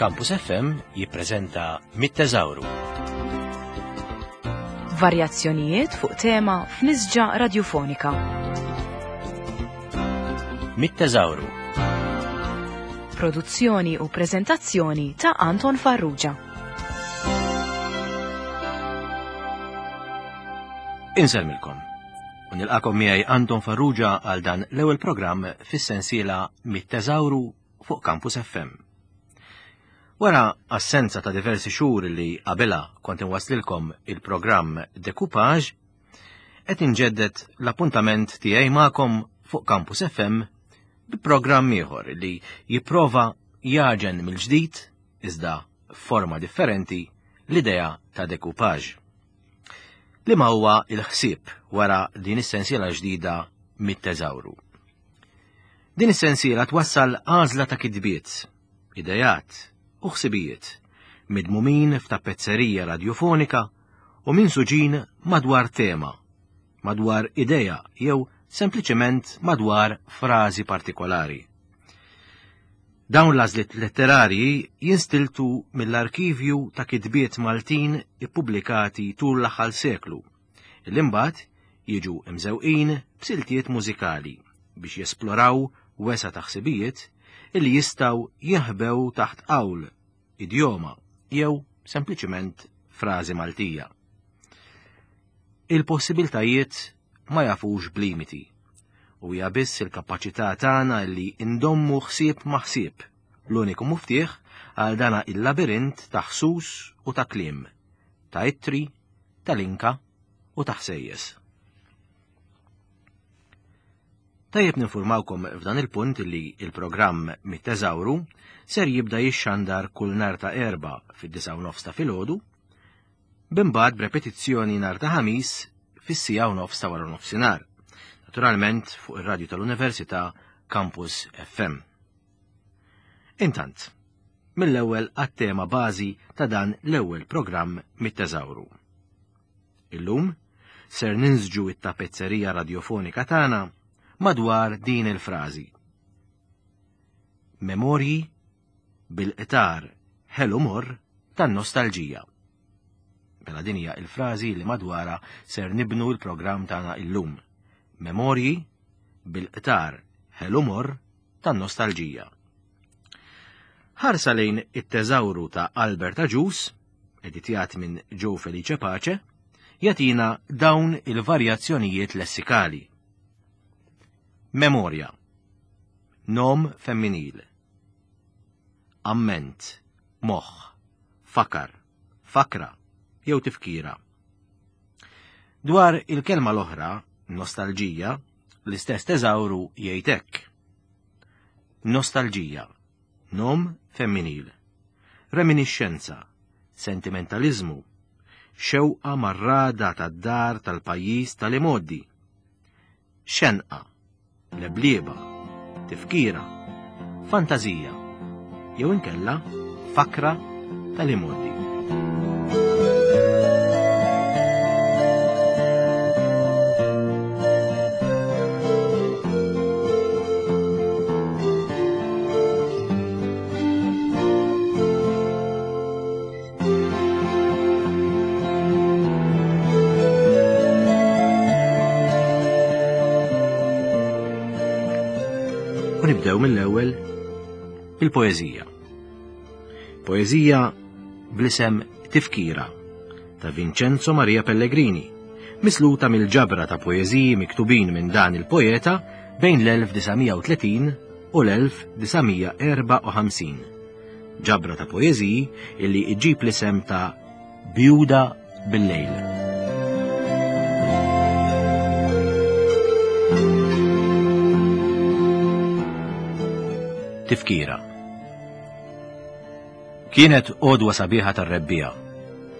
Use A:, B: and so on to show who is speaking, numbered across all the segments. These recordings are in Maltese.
A: Campus FM jippreżenta Mit-Teżawru.
B: Varjazzjonijiet fuq tema f'nisġa radjufonika.
A: Mit-Teżawru.
B: Produzzjoni u preżentazzjoni ta' Anton Farrugia.
A: Insellmilkom. U nilqakom miegħi Anton Farrugia għal dan l-ewwel programm fis-sensiela Mit-Teżawru fuq Campus FM. Wara assenza ta' diversi xhur li qabilha kont inwaslilkom il-programm Decoupage, qed inġedded l-appuntament tiegħi magħkom fuq Campus FM bi programm ieħor li jipprova jaġen mill-ġdid iżda f'forma differenti l-idea ta' decoupage. Liema huwa l-ħsieb wara din is-sensiela ġdida mit-teżawru? Din is-sensiela twassal għażla ta' kitbiet, ideat u ħsibijiet midmumin f'tapezzerija radjufonika u minsuġin madwar tema, madwar idea jew sempliċement madwar frażi partikolari. Dawn l-għażliet letterarji jinstiltu mill-arkivju ta' kitbiet Maltin ippubblikati tul l-aħħar seklu, li mbagħad jiġu mżewqin b'siltiet mużikali biex jesploraw wesa' ta' ħsibijiet illi jistgħu jinħbew taħt qawl, idjoma jew sempliċiment frażi Maltija. Il-possibiltajiet ma jafux b'limiti u hija biss il-kapaċità tagħna li ndommu ħsieb ma' ħsieb, l-uniku muftieħ għal dana il-labirint ta' ħsus u ta' kliem, ta' ittri, ta' linka u ta' ħsejjes. Tajjeb ninfurmawkom f'dan il-punt li il-programm Mit-Teżawru ser jibda jixxandar kull nhar ta' Erbgħa fid-disgħa u nofs ta' filgħodu b'imbagħad b'repetizzjoni nhar ta' Ħamis fis-siegħa u nofs ta' wara nofsinhar. Naturalment fuq ir-radju tal-Università Campus FM. Intant, mill-ewwel għat-tema bażi ta' dan l-ewwel programm mit-teżawru. Illum ser ninsġu it-tapezzerija radjofonika tagħna madwar din il-frażi. Memorji bil-qtar ħelu morr tan-nostalġija. Mela din hija il-frażi li madwarha ser nibnu l-programm tagħna illum. Memorji bil-qtar ħelu morr tan-nostalġija. Ħarsa lejn it-teżawru ta' Albert Agius, editjat minn Joe Felice Pace, jagħtina dawn il-varjazzjonijiet lessikali. Memorja. Nom femminil. Amment, moħħ, fakar, fakra jew tifkira. Dwar il-kelma l-oħra, nostalġija, l-istess teżawru jgħid hekk. Nostalġija, nom femminil. Reminixxenza, sentimentaliżmu, xewqa marrada tad-dar tal-pajjiż tal-imgħoddi. Xenqa, leblieba, tifkira, fantażija, jew inkella fakra tal-imgħoddi. U nibdew mill-ewwel il-poeżija. Poeżija bl-isem Tifkira ta' Vincenzo Maria Pellegrini, misluta mill-ġabra ta' poeżiji miktubin minn dan il-poeta bejn l-1930 u l-1954. Ġabra ta' poeżiji illi iġġib l-isem ta' Bjuda bil-lejl. Tifkira. Kienet għodwa sabiħa tar-rebbiegħa.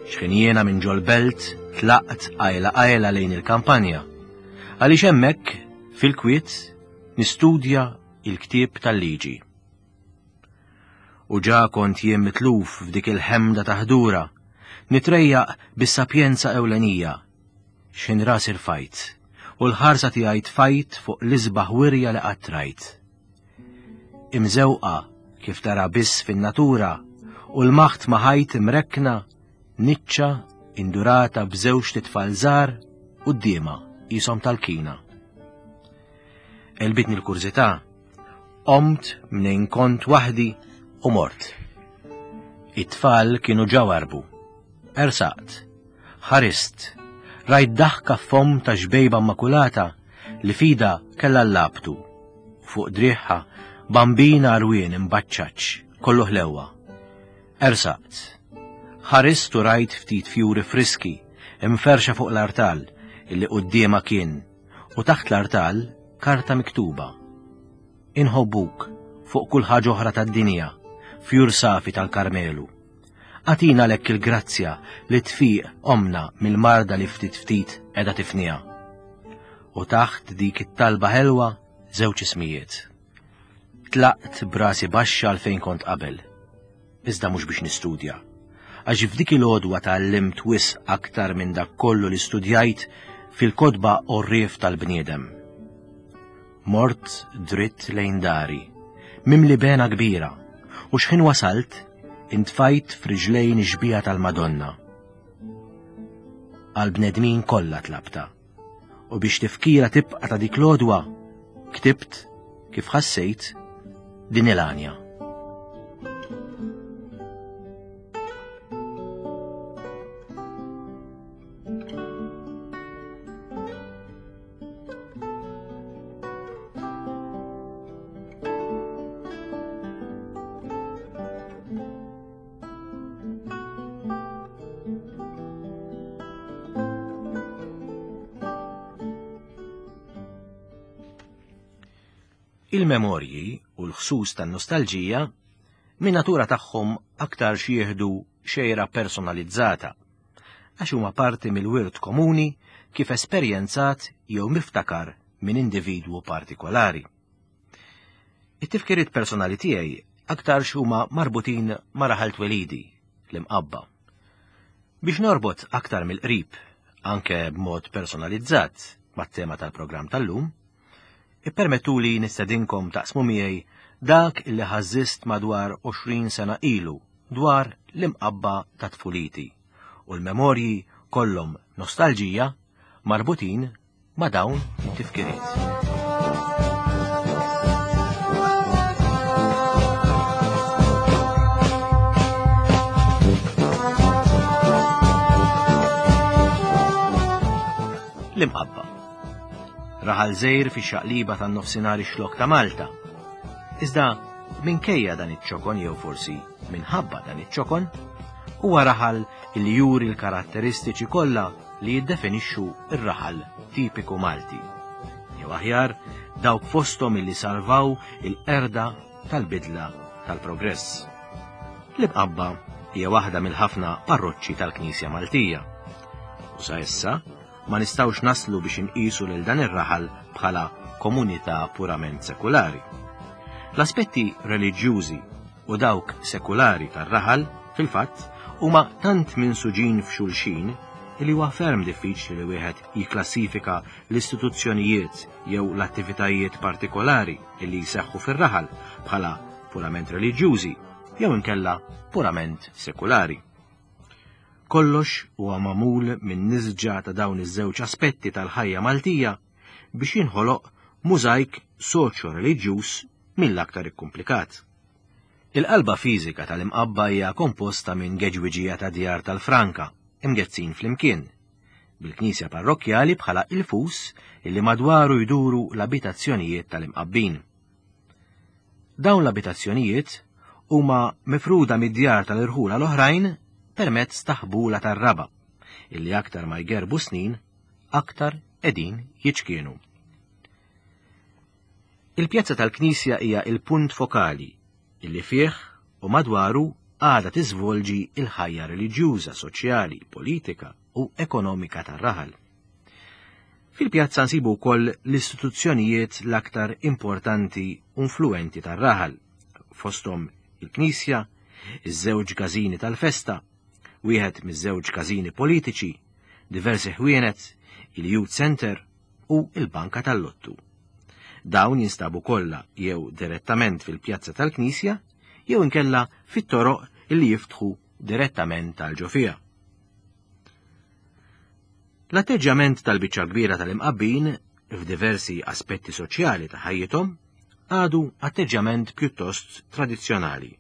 A: X'ħin jiena minn ġol-belt tlaqt qajla qajla lejn il-kampanja. Għaliex hemmhekk, fil-kwiet, nistudja il-ktieb tal-liġi. U ġa kont jien mitluf f'dik il-ħemda ta' ħdura, nitrejjaq bis-sapjenza ewlenija, x'ħin rasi rfajt, u l-ħarsa tiegħi tfajt fuq l-isbaħ wirja li qatt rajt. Imżewqa kif tara biss fin-natura U l-maħt ma' ħajt imrekkna niċċa indurata b'żewġt itfal żgħar quddiemha qishom tal-kina. Għelbitni l-kurżità, qomt mnejn kont waħdi u mort. It-tfal kienu ġa warbu. Ersaqt, ħarist, rajt daħka f'fomm ta' xbejba immakulata li fida kellha l-labtu. Fuq driħħa bambina għarwien imbaċċaċ, kollu ħlewwa. Ersaqt. Ħarist u rajt ftit fjuri friski imferrxa fuq l-artal illi quddiemha kien u taħt l-artal karta miktuba. Inħobbuk fuq kull ħaġa oħra tad-dinja, fjur safi tal-Karmelu. Agħtina għalhekk il-grazzja li tfiq ommna mill-marda li ftit ftit qiegħda tifniha. U taħt dik it-talba ħelwa żewġ ismijiet. Tlaqt b'rasi baxxa għal fejn kont qabel. Iżda mhux biex nistudja. Għax f'dik il-għodwa tgħallimt wisq aktar minn dak kollu li studjajt fil-kotba għorrief tal-bniedem. Mort dritt lejn dari, mimli bena kbira, u xħin wasalt, intfajt f'riġlejn ix-xbieha tal-Madonna. Għall-bnedmin kollha tlabtha. U biex tifkira tibqa' ta' dik l-għodwa, ktibt kif ħassejt din il-għanja. Il-memorji u l-ħsus tan-nostalġija min natura tagħhom aktarx jieħdu xejra personalizzata għax huma parti mill-wirt komuni kif esperjenzat jew miftakar minn individwu partikolari. It-tifkiriet personali tiegħi aktarx huma marbutin ma' raħal twelidi, l-Imqabba. Biex norbot aktar mill-qrib, anke b'mod personalizzat, mat-tema tal-programm tal-lum, ippermettuli nistedinkom taqsmu miegħi dak illi ħażżist madwar 20 sena ilu dwar l-Imqabba ta' tfuliti u l-memorji kollhom nostalġija marbutin ma' dawn it-tifkiriet. L-Imqabba. Raħal żgħir fix-xaqliba tan-nofsinhar ix-xlokk ta' Malta. Iżda minkejja dan iċ-ċokon jew forsi minħabba dan iċ-ċokon, huwa raħal li juri l-karatteristiċi kollha li jiddefinixxu r-raħal tipiku Malti. Jew aħjar, dawk fosthom illi salvaw il-qerda tal-bidla tal-progress. L-Imqabba hija waħda mill-ħafna parroċċi tal-Knisja Maltija. U sa issa ma nistgħux naslu biex inqisu lil dan ir-raħal bħala komunità purament sekulari. L-aspetti reliġjużi u dawk sekulari tar-raħal, fil-fatt, huma tant minsuġin f'xulxin li huwa ferm diffiċli li wieħed jikklassifika l-istituzzjonijiet jew l-attivitajiet partikolari li jseħħu fir-raħal bħala purament reliġjużi jew inkella purament sekulari. Kollox huwa magħmul minn nisġa ta' dawn iż-żewġ aspetti tal-ħajja Maltija biex jinħoloq mużajk soċjo-reliġjuż mill-aktar ikkumplikat. Il-qalba fiżika tal-Imqabba hija komposta minn geġwiġija ta' djar tal-franka imgezzin flimkien, bil-knisja parrokkjali bħala il-fus illi madwaru jduru l-abitazzjonijiet tal-Imqabbin. Dawn l-abitazzjonijiet huma mifruda mid-djar tal-irħula l-oħrajn permezz ta' ħbula tar-raba' illi aktar ma jgerbu snin aktar qegħdin jiċkienu. Il-pjazza tal-knisja hija l-punt fokali illi fih u madwaru għadha tiżvolġi l-ħajja reliġjuża, soċjali, politika u ekonomika tar-raħal. Fil-pjazza nsibu wkoll l-istituzzjonijiet l-aktar importanti u influwenti tar-raħal, fosthom il-knisja, iż-żewġ każini tal-festa, wieħed miż-żewġ każini politiċi, diversi ħwienet, il-Youth Center u l-Banka tal-Lottu. Dawn jinstabu kollha jew direttament fil-pjazza tal-Knisja jew inkella fit-toroq illi jiftħu direttament għal ġo fiha. L-atteġġjament tal-biċċa kbira tal-Imqabbin f'diversi aspetti soċjali ta' ħajjithom għadu atteġġjament pjuttost tradizzjonali.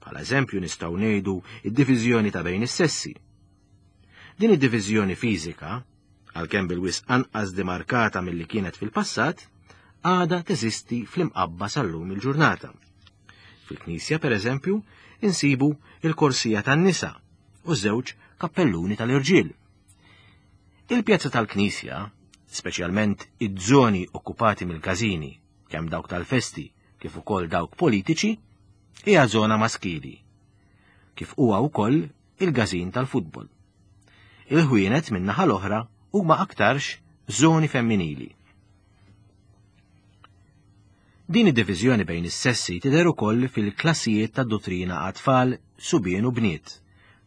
A: Bħala eżempju nistgħu ngħidu id-diviżjoni ta' bejn is-sessi. Din id-diviżjoni fiżika, għalkemm bil-wisq anqas demarkata milli kienet fil-passat, għadha teżisti fl-Imqabba sal-lum il-ġurnata. Fil-knisja, per eżempju, insibu il-korsija tan-nisa u żewġ kappelluni tal-irġiel. Il-pjazza tal-knisja, speċjalment iż-żoni okkupati mill-każini, kemm dawk tal-festi kif ukoll dawk politiċi, hija żona maskili, kif huwa wkoll il-każin tal-futbol. Il-ħwienet min-naħa l-oħra huma aktarx żoni femminili. Din id-diviżjoni bejn is-sessi tidher ukoll fil-klassijiet tad-duttrina għat-tfal subien u bniet,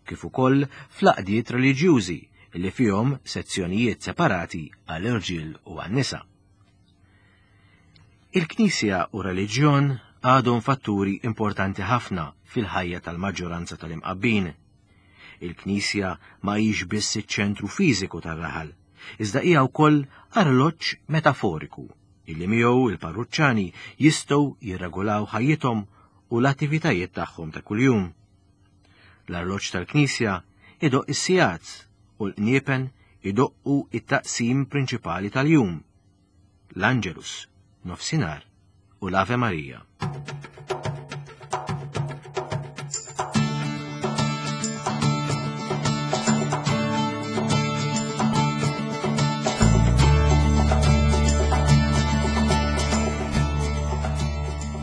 A: kif ukoll fl-għaqdiet reliġjużi li fihom sezzjonijiet separati għall-irġiel u għan-nisa. Il-Knisja u reliġjon għadhom fatturi importanti ħafna fil-ħajja tal-maġġoranza tal-Imqabbin. Il-Knisja ma hix biss iċ-ċentru fiżiku tar-raħal, iżda hija wkoll arloġġ metaforiku illi miegħu il-parruċċani jistgħu jirregolaw ħajjithom u l-attivitajiet tagħhom ta' kuljum. L-arloġġ tal-Knisja idoqq is-sigħat u l-qniepen idoqqu it-taqsim prinċipali tal-jum, l-Angelus, nofsinhar u l-Ave Maria.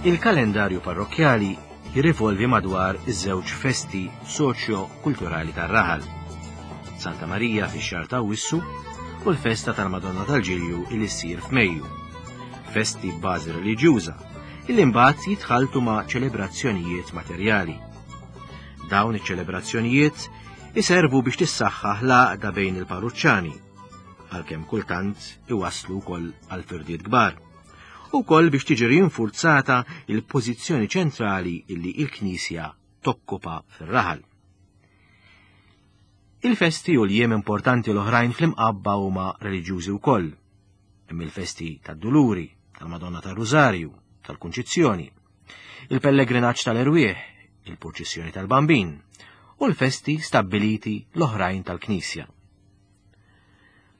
A: Il-kalendarju parrokkjali jirrivolvi madwar iż-żewġ festi soċjo-kulturali tar-raħal, Santa Marija fix-xahar ta' Awwissu u l-festa tal-Madonna tal-Ġilju li ssir f'Mejju. Festi b'bażi reliġjuża illi mbagħad jitħalltu ma' ċelebrazzjonijiet materjali. Dawn iċ-ċelebrazzjonijiet iservu biex tissaħħaħ l-għaqda bejn il-parruċċani, għalkemm kultant iwasslu wkoll għal firdiet kbar. U wkoll biex tiġi rinfurzata il-pożizzjoni ċentrali illi il-Knisja tokkupa fir-raħal. Il-festi u l-jiem importanti l-oħrajn fl-Imqabba huma reliġjużi wkoll. Hemm il-festi tad-Duluri, tal-Madonna tar-Rużarju, tal-Kunċizzjoni, il-pellegrinaġġ tal-Erwieħ, il-purċissjoni tal-Bambin u l-festi stabbiliti l-oħrajn tal-Knisja.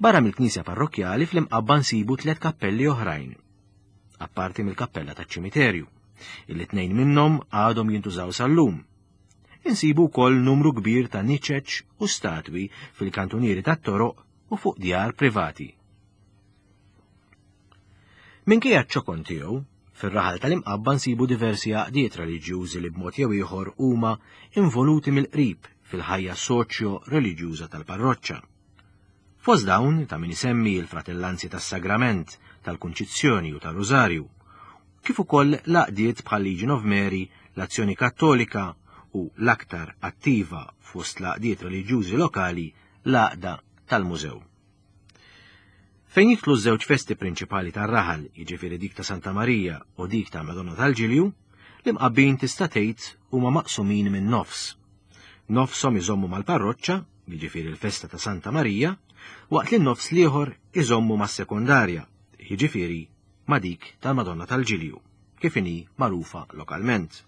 A: Barra mill-knisja parrokkjali fl-Imqabba nsibu tliet kappelli oħrajn, apparti mill-kappella taċ-ċimiterju, illi tnejn minnhom għadhom jintużaw sal-lum. Insibu wkoll numru kbir ta' niċeċ u statwi fil-kantunieri tat-toroq u fuq djar privati. Minkejja ċ-ċokon tiegħu, fir-raħal tal-Imqabba nsibu diversi għaqdiet reliġjużi li b'mod jew ieħor huma involuti mill-qrib fil-ħajja soċjo-reliġjuża tal-parroċċa. Fost dawn ta' min isemmi l-Fratellanzi tas-Sagrament, tal-Kunċizzjoni u tar-Rużarju, kif ukoll l-għaqdiet bħal Legion of Mary, l-Azzjoni Kattolika u l-aktar attiva fost l-għaqdiet reliġjużi lokali, l-Għaqda tal-Mużew. Fejn jidħlu ż-żewġ festi prinċipali tar-raħal, jiġifieri dik ta' Santa Marija u dik ta' Madonna tal-Ġilju, l-Imqabbin tista' tgħid huma maqsumin minn nofs. Nofshom iżommu mal-parroċċa, jiġifieri l-festa ta' Santa Marija, waqt li n-nofs l-ieħor iżommu mas-sekondarja, jiġifieri ma' dik tal-Madonna tal-Ġilju, kif inhi magħrufa lokalment.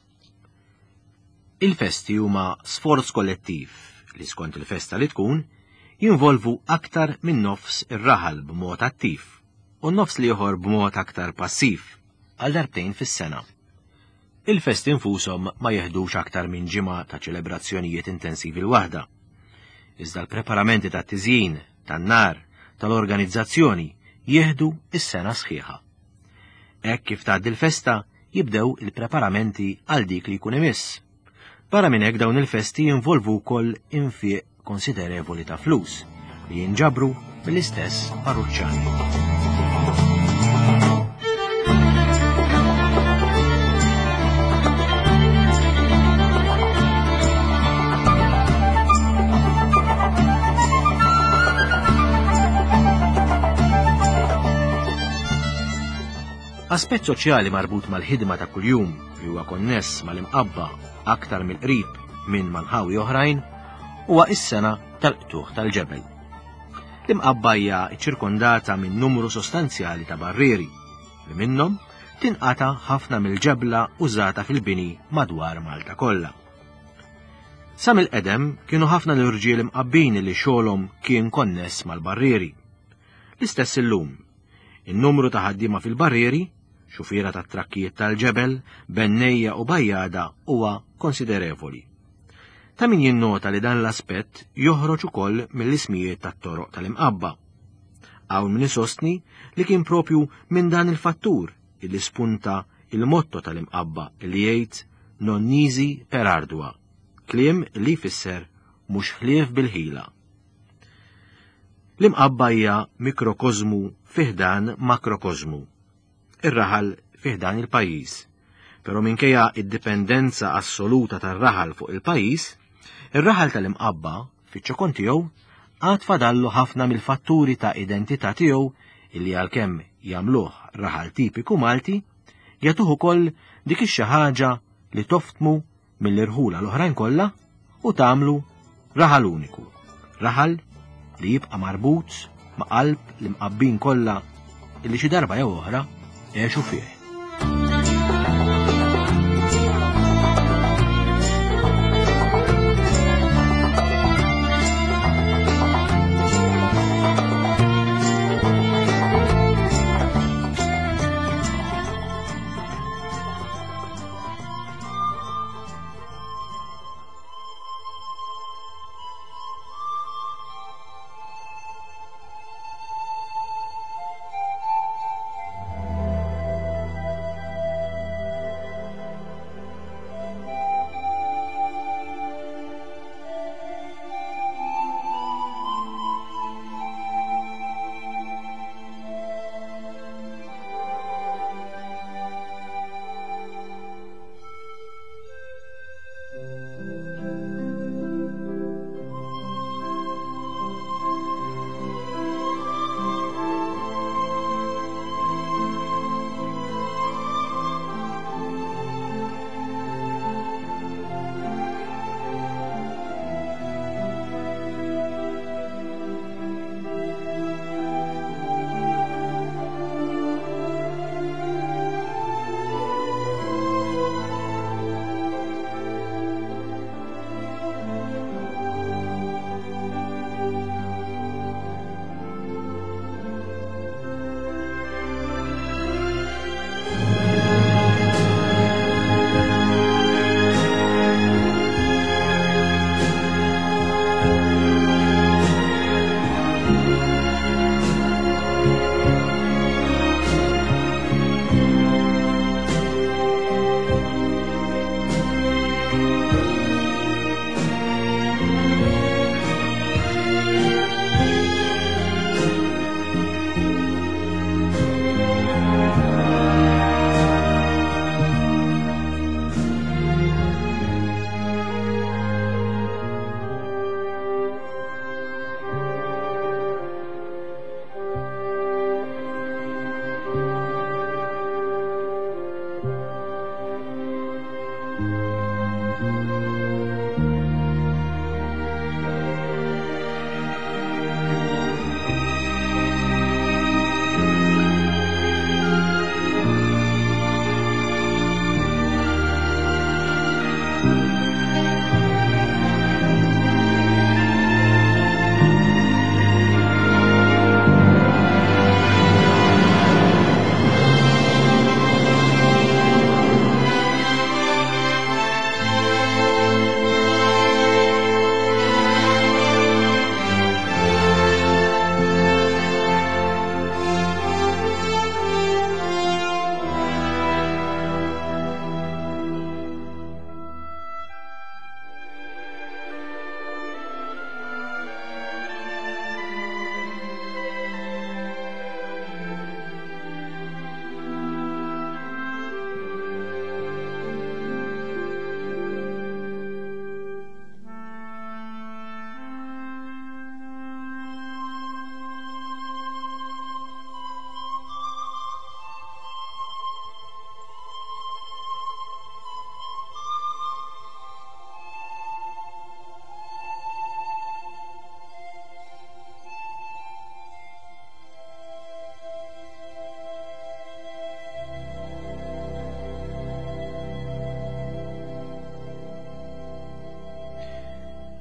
A: Il-festi huma sforz kollettiv li skont il-festa li tkun jinvolvu aktar minn nofs ir-raħal b'mod attiv u n-nofs l-ieħor b'mod aktar passiv għal darbtejn fis-sena. Il-festi nfushom ma jeħdux aktar minn ġimgħa ta' ċelebrazzjonijiet intensivi l-waħda. Iżda l-preparamenti tat-tiżjin, tan-nar, tal-organizzazzjoni jieħdu s-sena sħiħa. Hekk kif tgħaddi l-festa, jibdew il-preparamenti għal dik li jkun imiss. Barra minn hekk dawn il-festi jinvolvu wkoll infiq konsiderevoli ta' flus li jinġabru mill-istess parruċċani. Aspett soċjali marbut mal-ħidma ta' kuljum li huwa konness mal-imqabba aktar mill-qrib minn manħawi oħrajn huwa is-sena tal-qtuħ tal-ġebel. L-imqabba hija ċċirkondata minn numru sostanzjali ta' barrieri li minnhom tinqata' ħafna mill-ġebla użata fil-bini madwar Malta kollha. Sa mill-qedem kienu ħafna l-irġiel imqabbin li xogħolhom kien konness mal-barrieri. L-istess illum. In-numru ta' ħaddiema fil-barrieri, xufiera tat-trakkijiet tal-ġebel, bennejja u bajjada huwa konsiderevoli. Ta' min jinnota li dan l-aspett joħroġ ukoll mill-ismijiet tat-toroq tal-imqabba. Hawn min isostni li kien propju minn dan il-fattur illi spunta il-motto tal-imqabba li jgħid non nisi per ardua, kliem li jfisser mhux ħlief bil-ħila. L-imqabba hija mikrokożmu fi ħdan makrokożmu. Ir-raħal fi ħdan il-pajjiż. Però minkejja id-dipendenza assoluta tar-raħal fuq il-pajjiż, ir-raħal tal-imqabba, fiċ-ċokon tiegħu, għad fadallu ħafna mill-fatturi ta' identità tiegħu illi għalkemm jagħmluh raħal tipiku Malti, jagħtuh ukoll dik ix-xi ħaġa li toftmu mill-irħula l-oħrajn kollha u tagħmlu raħal uniku, raħal li jibqa' marbut ma' qalb l-imqabbin kollha illi xi darba jew oħra għexu fih.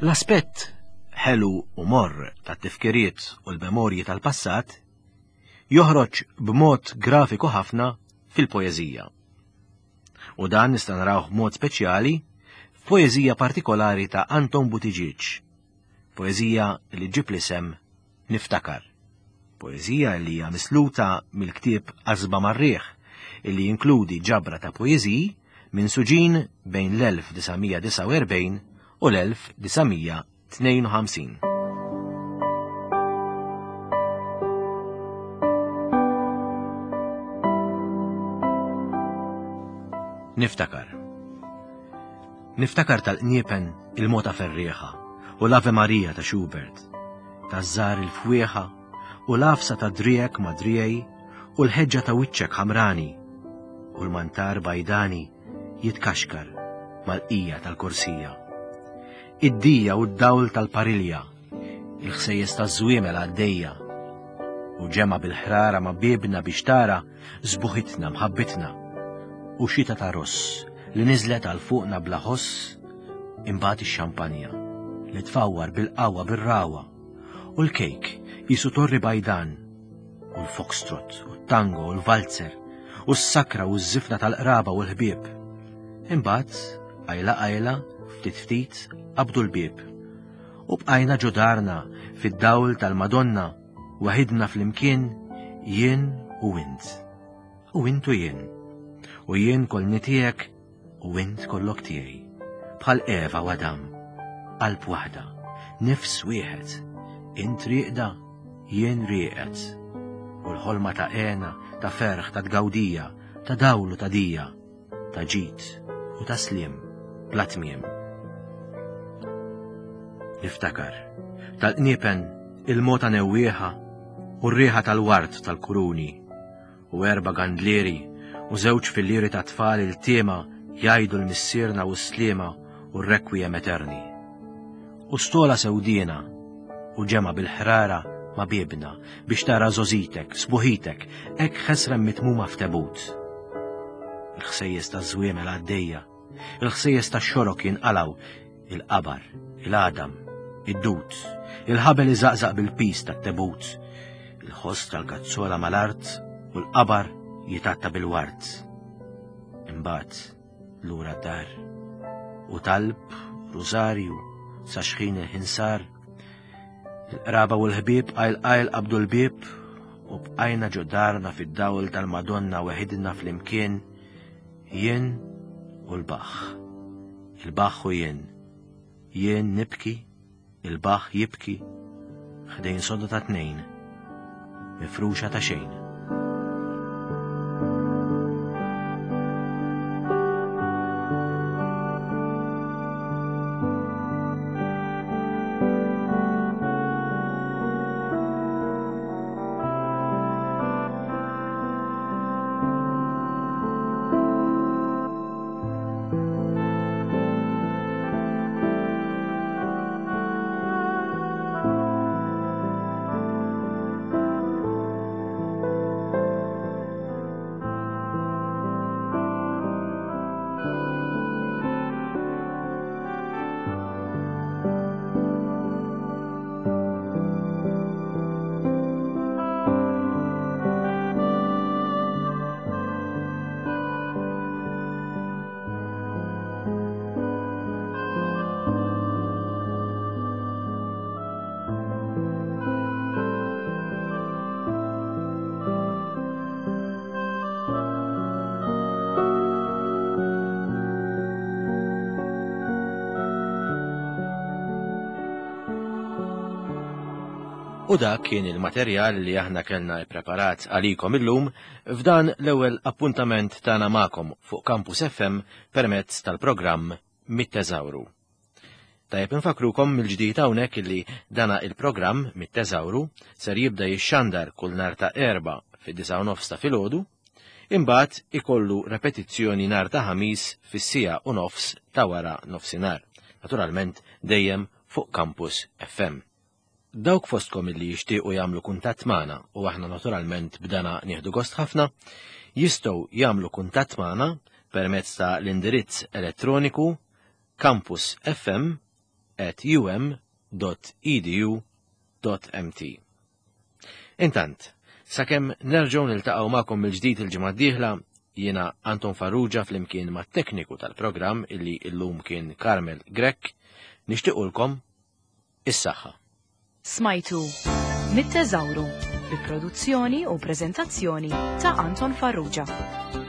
A: L-aspett ħelu u morr tat-tifkiriet u l-memorji tal-passat joħroġ b'mod grafiku ħafna fil-poeżija. U dan nista' narawh b'mod speċjali f'poeżija partikolari ta' Anton Buttigieg, poeżija li ġġib l-isem Niftakar. Poeżija li hija misluta mill-ktieb Qasba mar-Riħ, illi jinkludi ġabra ta' poeżiji minsuġin bejn l-1949 u l-1952. Niftakar. Niftakar tal-qniepen il-mota ferrieħa u l-Ave Maria ta' Schubert, taż-żar il-fwieħa u l-għafsa ta' driegħek ma' driegħi u l-ħeġġa ta' wiċċek ħamrani u l-mantar bajdani jitkaxkar mal-qija tal-korsija. Id-dija u d-dawl tal-parilja, il-ħsejjes taż-żwiemel għaddejja u ġemgħa bil-ħrara ma' biebna biex tara sbuħitna mħabbitna u xita ta' ross li niżlet għal fuqna bla ħoss imbagħad ix-xampanja li tfawwar bil-qawwa bir-ragħwa u l-kejk qisu torri bajdan u l-foxtrot u t-tango u l-valzer u s-sakra u ż-żifna tal-qraba u l-ħbieb. Imbagħad qajla qajla ftit ftit qabdu l-bieb u bqajna ġo darna fid-dawl tal-Madonna waħidna flimkien jien u int. U int u jien. U jien kollni tiegħek u int kollok tiegħi. Bħal Eva u Adam. Qalb waħda, nifs wieħed. Int rieqda, jien rieqed. U l-ħolma ta' għena, ta' ferħ, ta' tgawdija, ta' dawl u ta' dija, ta' ġid u ta' sliem bla tmiem. Niftakar, tal-qniepen il-mota newwieħa u r-riħa tal-ward tal-kuruni u erba' gandlieri u żewġ fillieri ta' tfal iltiema jgħidu l-Missierna u s-Sliema u r-Requiem Eterni. U stola sewdiena u ġemgħa bil-ħrara ma' biebna biex tara żgħożitek, sbuħitek, hekk ħesrem mitmuma f'tebut. Il-ħsejjes taż-żwiemel għaddejja, il-ħsejjes tax-xorok jinqalgħu, il-qabar, il-għadam, id-dud, il-ħabel iżaqżaq bil-piż tat-tebut, il-ħoss tal-kazzola mal-art u l-qabar jitatta bil-ward. Imbagħad lura d-dar u talb, rużarju, sa xħin il-ħin sar. Il-qraba u l-ħbieb qajl qajl qabdu l-bieb u bqajna ġo darna fid-dawl tal-Madonna weħidna flimkien jien u l-baħħ. Il-baħħ u jien. Jien nibki, il-baħħ jibki, ħdejn soda ta' tnejn, mifruxa ta' xejn. U dak kien il-materjal li aħna kellna ippreparat għalikom illum f'dan l-ewwel appuntament tagħna magħkom fuq Campus FM permezz tal-programm Mit-Teżawru. Tajjeb infakkrukom mill-ġdid hawnhekk illi dana il-programm Mit-Teżawru ser jibda jixxandar kull nhar ta' Erbgħa fid-disgħa u nofs ta' filgħodu, imbagħad ikollu repetizzjoni nhar ta' Ħamis fis-siegħa u nofs ta' wara nofsinhar, naturalment dejjem fuq Campus FM. Dawk fostkom illi jixtiequ jagħmlu kuntatt magħna u aħna naturalment b'dana nieħdu gost ħafna, jistgħu jagħmlu kuntatt magħna permezz ta' l-indirizz elettroniku campusfm. at um.edu.mt. Intant, sakemm nerġgħu niltaqgħu magħkom mill-ġdid il-ġimgħa d-dieħla, jiena Anton Farrugia flimkien mat-tekniku tal-programm illi llum kien Carmel Grech, nixtiequlkom is-saħħa.
B: Smajtu Mit-Teżawru bi produzzjoni u preżentazzjoni ta' Anton Farrugia.